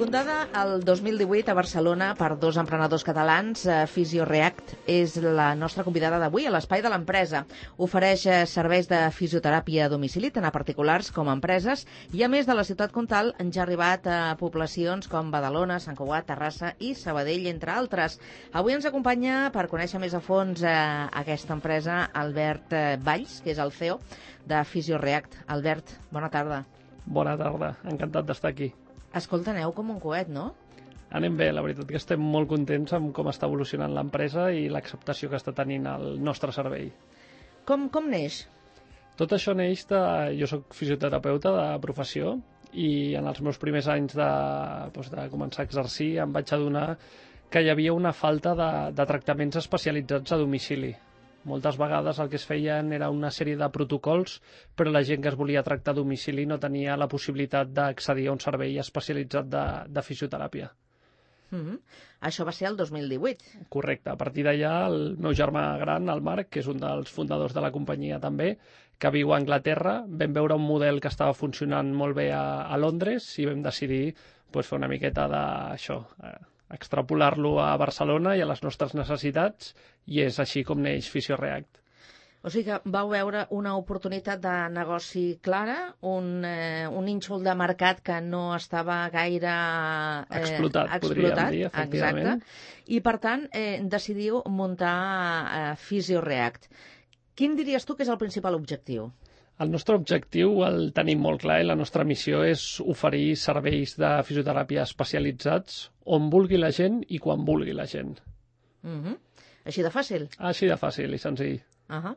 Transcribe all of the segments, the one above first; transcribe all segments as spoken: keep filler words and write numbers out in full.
Fundada el dos mil divuit a Barcelona per dos emprenedors catalans, Fisioreact és la nostra convidada d'avui a l'espai de l'empresa. Ofereix serveis de fisioteràpia a domicili, tant a particulars com a empreses, i a més de la ciutat comtal han ja arribat a poblacions com Badalona, Sant Cugat, Terrassa i Sabadell, entre altres. Avui ens acompanya per conèixer més a fons eh, aquesta empresa Albert Valls, que és el C E O de Fisioreact. Albert, bona tarda. Bona tarda, encantat d'estar aquí. Escolta, aneu com un coet, no? Anem bé, la veritat que estem molt contents amb com està evolucionant l'empresa i l'acceptació que està tenint el nostre servei. Com, com neix? Tot això neix de... Jo soc fisioterapeuta de professió i en els meus primers anys de, doncs, de començar a exercir em vaig adonar que hi havia una falta de, de tractaments especialitzats a domicili. Moltes vegades el que es feien era una sèrie de protocols, però la gent que es volia tractar a domicili no tenia la possibilitat d'accedir a un servei especialitzat de, de fisioteràpia. Mm-hmm. Això va ser el dos mil divuit. Correcte. A partir d'allà, el meu germà gran, el Marc, que és un dels fundadors de la companyia també, que viu a Anglaterra, vam veure un model que estava funcionant molt bé a, a Londres i vam decidir pues, fer una miqueta d'això, eh, extrapolar-lo a Barcelona i a les nostres necessitats, i és així com neix Fisioreact. O sigui que vau veure una oportunitat de negoci clara, un, eh, un nínxol de mercat que no estava gaire eh, explotat, explotat, podríem dir, efectivament. Exacte. I, per tant, eh, decidiu muntar eh, Fisioreact. Quin diries tu que és el principal objectiu? El nostre objectiu el tenim molt clar i la nostra missió és oferir serveis de fisioteràpia especialitzats on vulgui la gent i quan vulgui la gent. Mm-hmm. Així de fàcil? Així de fàcil i senzill. Uh-huh.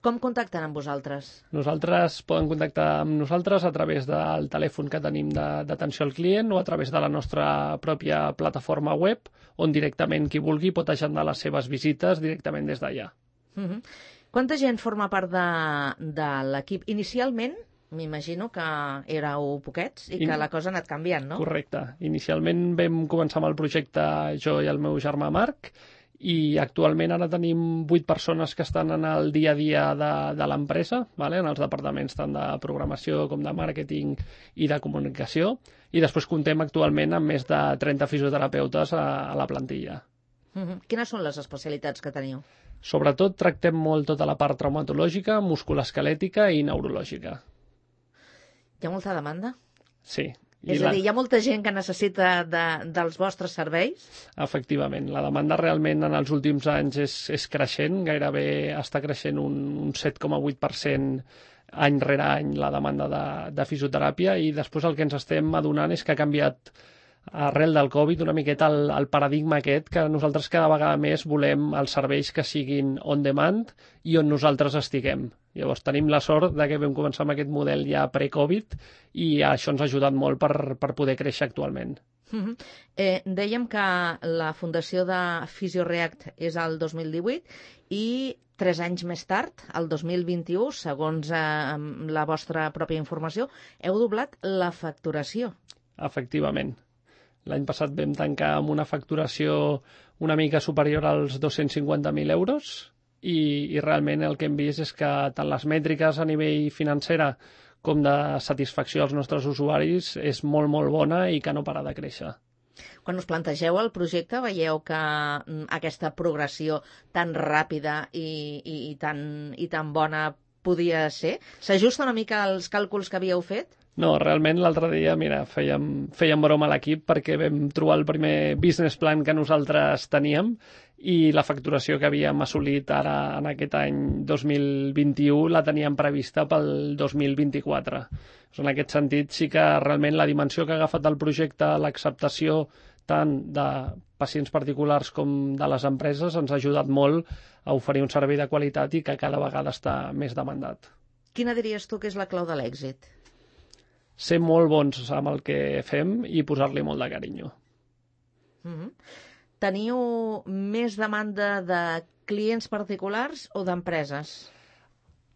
Com contacten amb vosaltres? Nosaltres poden contactar amb nosaltres a través del telèfon que tenim d'atenció al client o a través de la nostra pròpia plataforma web, on directament qui vulgui pot agendar les seves visites directament des d'allà. Uh-huh. Quanta gent forma part de, de l'equip? Inicialment, m'imagino que éreu poquets i que In... la cosa ha anat canviant, no? Correcte. Inicialment vam començar amb el projecte jo i el meu germà Marc, i actualment ara tenim vuit persones que estan en el dia a dia de, de l'empresa, vale? En els departaments tant de programació com de màrqueting i de comunicació, i després comptem actualment amb més de trenta fisioterapeutes a, a la plantilla. Uh-huh. Quines són les especialitats que teniu? Sobretot tractem molt tota la part traumatològica, musculoesquelètica i neurològica. Hi ha molta demanda? Sí. És a dir, hi ha molta gent que necessita de, dels vostres serveis? Efectivament. La demanda realment en els últims anys és, és creixent, gairebé està creixent un, un set coma vuit per cent any rere any la demanda de, de fisioteràpia, i després el que ens estem adonant és que ha canviat arrel del Covid una miqueta el, el paradigma aquest, que nosaltres cada vegada més volem els serveis que siguin on demand i on nosaltres estiguem. Llavors tenim la sort de que vam començar amb aquest model ja pre-Covid i això ens ha ajudat molt per, per poder créixer actualment. Uh-huh. eh, dèiem que la fundació de Fisioreact és el dos mil divuit i tres anys més tard, el dos mil vint-i-u, segons eh, la vostra pròpia informació, heu doblat la facturació. Efectivament. L'any passat vam tancar amb una facturació una mica superior als dos-cents cinquanta mil euros i, i realment el que hem vist és que tant les mètriques a nivell financera com de satisfacció als nostres usuaris és molt, molt bona i que no para de créixer. Quan us plantegeu el projecte, veieu que aquesta progressió tan ràpida i, i, i, tan, i tan bona podia ser? S'ajusta una mica als càlculs que havíeu fet? No, realment l'altre dia, mira, fèiem, fèiem broma a l'equip perquè vam trobar el primer business plan que nosaltres teníem i la facturació que havíem assolit ara en aquest any dos mil vint-i-u la teníem prevista pel dos mil vint-i-quatre. En aquest sentit sí que realment la dimensió que ha agafat el projecte, l'acceptació tant de pacients particulars com de les empreses ens ha ajudat molt a oferir un servei de qualitat i que cada vegada està més demandat. Quina diries tu que és la clau de l'èxit? Ser molt bons amb el que fem i posar-li molt de carinyo. Mm-hmm. Teniu més demanda de clients particulars o d'empreses?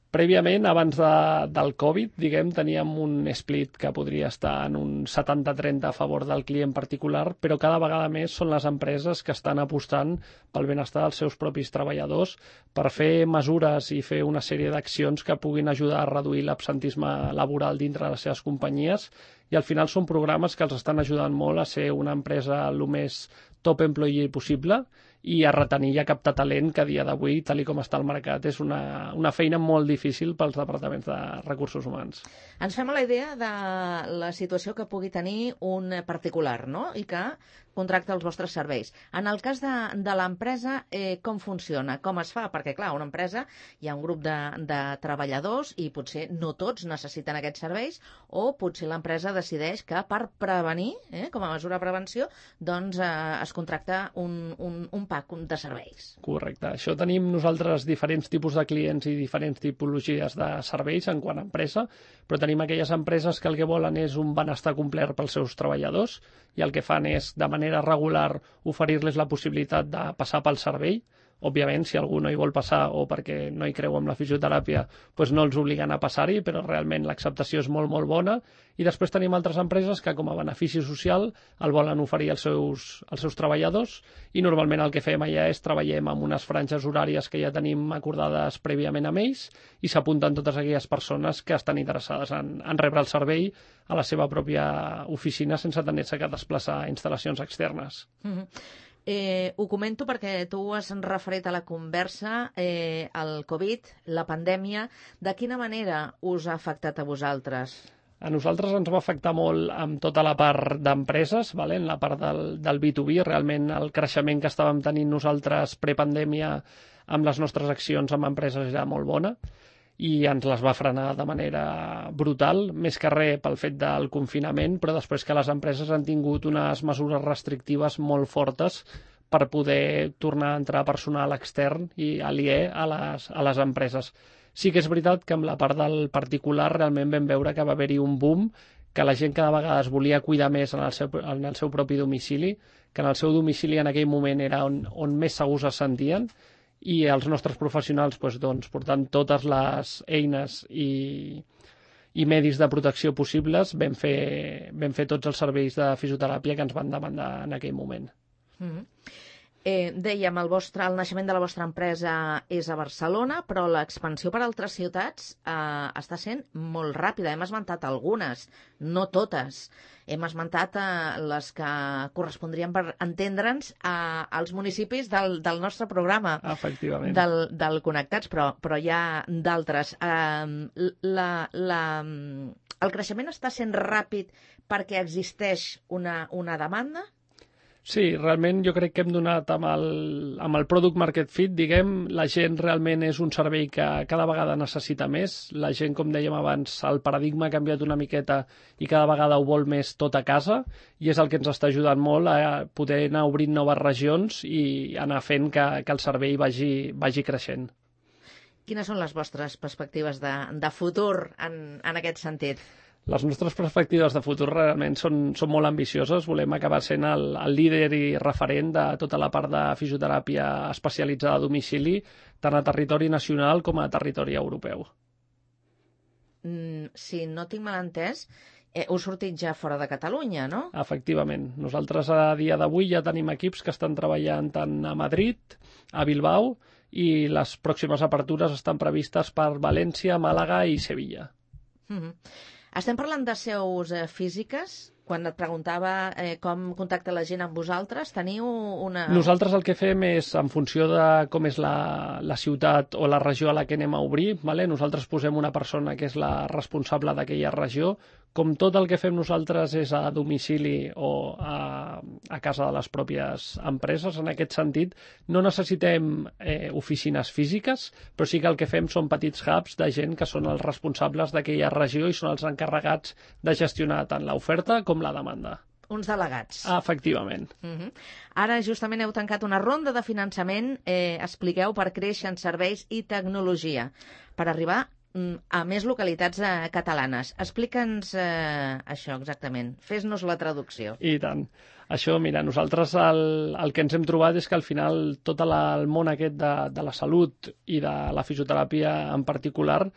Prèviament, abans de, del Covid, diguem, teníem un split que podria estar en un setanta trenta a favor del client particular, però cada vegada més són les empreses que estan apostant pel benestar dels seus propis treballadors per fer mesures i fer una sèrie d'accions que puguin ajudar a reduir l'absentisme laboral dintre de les seves companyies, i al final són programes que els estan ajudant molt a ser una empresa el més top employee possible i a retenir i a captar talent, que a dia d'avui, tal i com està el mercat, és una, una feina molt difícil pels departaments de recursos humans. Ens fem a la idea de la situació que pugui tenir un particular, no?, i que contracta els vostres serveis. En el cas de, de l'empresa, eh, com funciona? Com es fa? Perquè, clar, una empresa hi ha un grup de, de treballadors i potser no tots necessiten aquests serveis, o potser l'empresa decideix que per prevenir, eh, com a mesura de prevenció, doncs eh, es contracta un, un, un pack de serveis. Correcte. Això tenim nosaltres diferents tipus de clients i diferents tipologies de serveis en quant a empresa, però tenim aquelles empreses que el que volen és un benestar complet pels seus treballadors i el que fan és, de manera regular, oferir-les la possibilitat de passar pel servei. Òbviament, si algú no hi vol passar o perquè no hi creu en la fisioteràpia, doncs no els obliguen a passar-hi, però realment l'acceptació és molt, molt bona. I després tenim altres empreses que, com a benefici social, el volen oferir als seus, als seus treballadors, i normalment el que fem allà és treballem amb unes franges horàries que ja tenim acordades prèviament amb ells, i s'apunten totes aquelles persones que estan interessades en, en rebre el servei a la seva pròpia oficina sense tenir-se que desplaçar a instal·lacions externes. Mm-hmm. Eh, ho comento perquè tu has referit a la conversa eh, el Covid, la pandèmia. De quina manera us ha afectat a vosaltres? A nosaltres ens va afectar molt amb tota la part d'empreses, vale? En la part del, del B dos B. Realment el creixement que estàvem tenint nosaltres prepandèmia amb les nostres accions amb empreses era molt bona, i ens les va frenar de manera brutal, més que res pel fet del confinament, però després que les empreses han tingut unes mesures restrictives molt fortes per poder tornar a entrar personal extern i aliè a les, a les empreses. Sí que és veritat que amb la part del particular realment vam veure que va haver-hi un boom, que la gent cada vegada es volia cuidar més en el seu, en el seu propi domicili, que en el seu domicili en aquell moment era on, on més segurs es sentien, i els nostres professionals doncs, doncs, portant totes les eines i, i medis de protecció possibles, vam fer, vam fer tots els serveis de fisioteràpia que ens van demandar en aquell moment. Mm-hmm. Eh, dèiem, el, vostre, el naixement de la vostra empresa és a Barcelona, però l'expansió per altres ciutats eh, està sent molt ràpida. Hem esmentat algunes, no totes. Hem esmentat eh, les que correspondrien, per entendre'ns, eh, als municipis del, del nostre programa. Efectivament. Del, del Connectats, però, però hi ha d'altres. Eh, la, la, el creixement està sent ràpid perquè existeix una, una demanda? Sí, realment jo crec que hem donat amb el, amb el Product Market Fit, diguem, la gent realment és un servei que cada vegada necessita més. La gent, com dèiem abans, el paradigma ha canviat una miqueta i cada vegada ho vol més tot a casa, i és el que ens està ajudant molt a poder anar obrint noves regions i anar fent que, que el servei vagi, vagi creixent. Quines són les vostres perspectives de, de futur en, en aquest sentit? Les nostres perspectives de futur realment són, són molt ambicioses. Volem acabar sent el, el líder i referent de tota la part de fisioteràpia especialitzada a domicili, tant a territori nacional com a territori europeu. Mm, si no tinc mal entès, eh, heu sortit ja fora de Catalunya, no? Efectivament. Nosaltres a dia d'avui ja tenim equips que estan treballant tant a Madrid, a Bilbao, i les pròximes apertures estan previstes per València, Màlaga i Sevilla. Mm-hmm. Estem parlant de seus eh, físiques. Quan et preguntava eh, com contacta la gent amb vosaltres, teniu una... Nosaltres el que fem és, en funció de com és la, la ciutat o la regió a la que anem a obrir, vale? Nosaltres posem una persona que és la responsable d'aquella regió. Com tot el que fem nosaltres és a domicili o a, a casa de les pròpies empreses, en aquest sentit, no necessitem eh, oficines físiques, però sí que el que fem són petits hubs de gent que són els responsables d'aquella regió i són els encarregats de gestionar tant l'oferta com la demanda. Uns delegats. Ah, efectivament. Uh-huh. Ara justament heu tancat una ronda de finançament, eh, expliqueu, per créixer en serveis i tecnologia, per arribar a més localitats eh, catalanes. Explica'ns eh, això exactament. Fes-nos la traducció. I tant. Això, mira, nosaltres el, el que ens hem trobat és que al final tot la, el món aquest de, de la salut i de la fisioteràpia en particular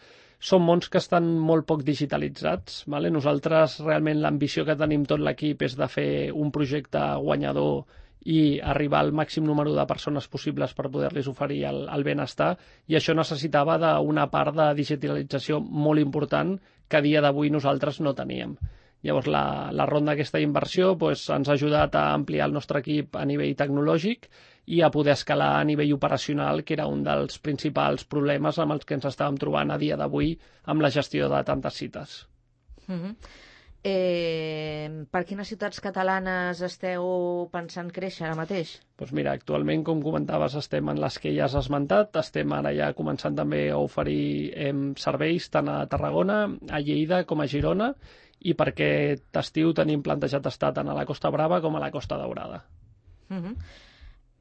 són mons que estan molt poc digitalitzats. Vale? Nosaltres realment l'ambició que tenim tot l'equip és de fer un projecte guanyador i arribar al màxim número de persones possibles per poder-los oferir el, el benestar, i això necessitava d'una part de digitalització molt important que a dia d'avui nosaltres no teníem. Llavors, la, la ronda d'aquesta inversió pues, ens ha ajudat a ampliar el nostre equip a nivell tecnològic i a poder escalar a nivell operacional, que era un dels principals problemes amb els que ens estàvem trobant a dia d'avui amb la gestió de tantes cites. Mm-hmm. Eh, per quines ciutats catalanes esteu pensant créixer ara mateix? Doncs mira, actualment, com comentaves, estem en les que ja has esmentat, estem ara ja començant també a oferir eh, serveis tant a Tarragona, a Lleida com a Girona, i per aquest estiu tenim plantejat estar tant a la Costa Brava com a la Costa Daurada. Uh-huh.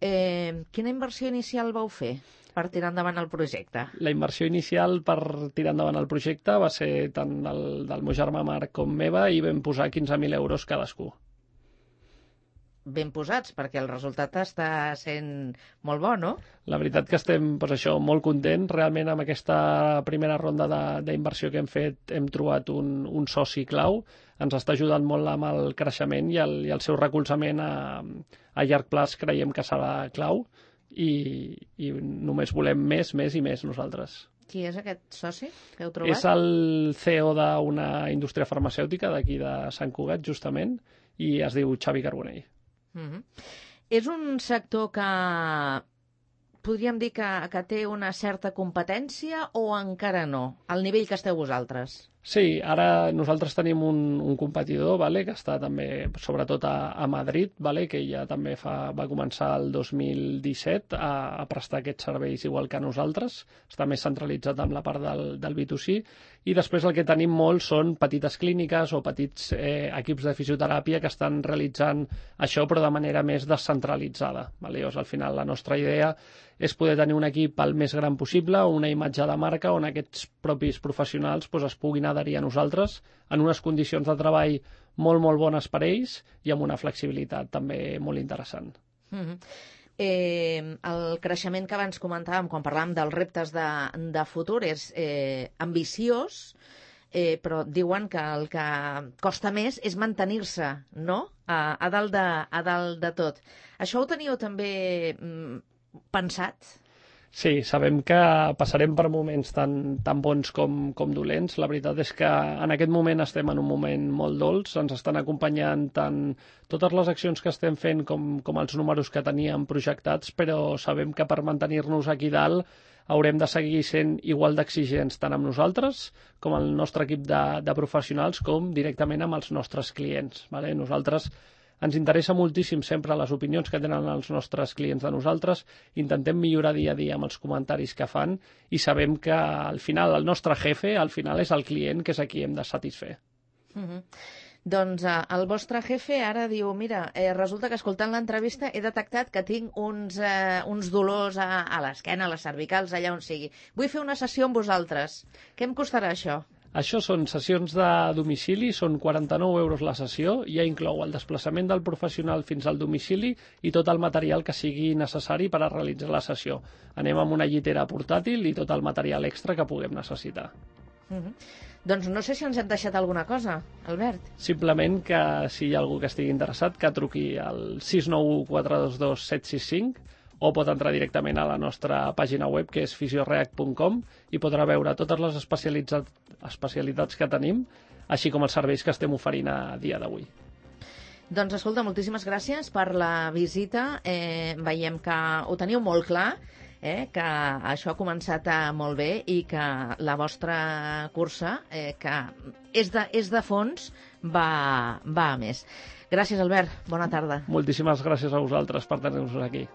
eh, quina inversió inicial vau fer per tirar endavant el projecte? La inversió inicial per tirar endavant el projecte va ser tant del, del meu germà Marc com meva, i vam posar quinze mil euros cadascú. Ben posats, perquè el resultat està sent molt bo, no? La veritat que estem doncs això, molt contents. Realment amb aquesta primera ronda d'inversió que hem fet hem trobat un, un soci clau. Ens està ajudant molt amb el creixement, i el, i el seu recolzament a, a llarg plaç creiem que serà clau, i, i només volem més, més i més nosaltres. Qui és aquest soci que heu trobat? És el C E O d'una indústria farmacèutica d'aquí de Sant Cugat, justament, i es diu Xavi Carbonell. Mm-hmm. És un sector que podríem dir que, que té una certa competència, o encara no, al nivell que esteu vosaltres? Sí, ara nosaltres tenim un, un competidor, vale, que està també sobretot a, a Madrid, vale, que ja també fa, va començar el dos mil disset a, a prestar aquests serveis igual que nosaltres. Està més centralitzat amb la part del, del B dos C, i després el que tenim molt són petites clíniques o petits eh, equips de fisioteràpia que estan realitzant això, però de manera més descentralitzada. Vale? Llavors, al final, la nostra idea és poder tenir un equip el més gran possible, una imatge de marca on aquests propis professionals pues, es puguin adherir a nosaltres en unes condicions de treball molt, molt bones per ells, i amb una flexibilitat també molt interessant. Mm-hmm. eh, el creixement que abans comentàvem quan parlàvem dels reptes de, de futur és eh, ambiciós, eh, però diuen que el que costa més és mantenir-se, no? A, a, dalt de, a dalt de tot. Això ho teniu també mm, pensat? Sí, sabem que passarem per moments tan, tan bons com, com dolents. La veritat és que en aquest moment estem en un moment molt dolç. Ens estan acompanyant tant totes les accions que estem fent com, com els números que teníem projectats, però sabem que per mantenir-nos aquí dalt haurem de seguir sent igual d'exigents tant amb nosaltres com el nostre equip de, de professionals, com directament amb els nostres clients. Vale? Nosaltres ens interessa moltíssim sempre les opinions que tenen els nostres clients de nosaltres, intentem millorar dia a dia amb els comentaris que fan, i sabem que al final el nostre jefe al final és el client, que és a qui hem de satisfer. Mm-hmm. Doncs eh, el vostre jefe ara diu, mira, eh, resulta que escoltant l'entrevista he detectat que tinc uns, eh, uns dolors a, a l'esquena, a les cervicals, allà on sigui. Vull fer una sessió amb vosaltres. Què em costarà això? Això són sessions de domicili, són quaranta-nou euros la sessió, i ja inclou el desplaçament del professional fins al domicili i tot el material que sigui necessari per a realitzar la sessió. Anem amb una llitera portàtil i tot el material extra que puguem necessitar. Mm-hmm. Doncs no sé si ens hem deixat alguna cosa, Albert. Simplement que si hi ha algú que estigui interessat, que truqui al sis nou u quatre dos dos set sis cinc, o pot entrar directament a la nostra pàgina web, que és fisioreact punt com, i podrà veure totes les especialitats que tenim, així com els serveis que estem oferint a dia d'avui. Doncs escolta, moltíssimes gràcies per la visita. Eh, veiem que ho teniu molt clar, eh, que això ha començat a molt bé, i que la vostra cursa, eh, que és de, és de fons, va, va a més. Gràcies, Albert. Bona tarda. Moltíssimes gràcies a vosaltres per tenir-nos aquí.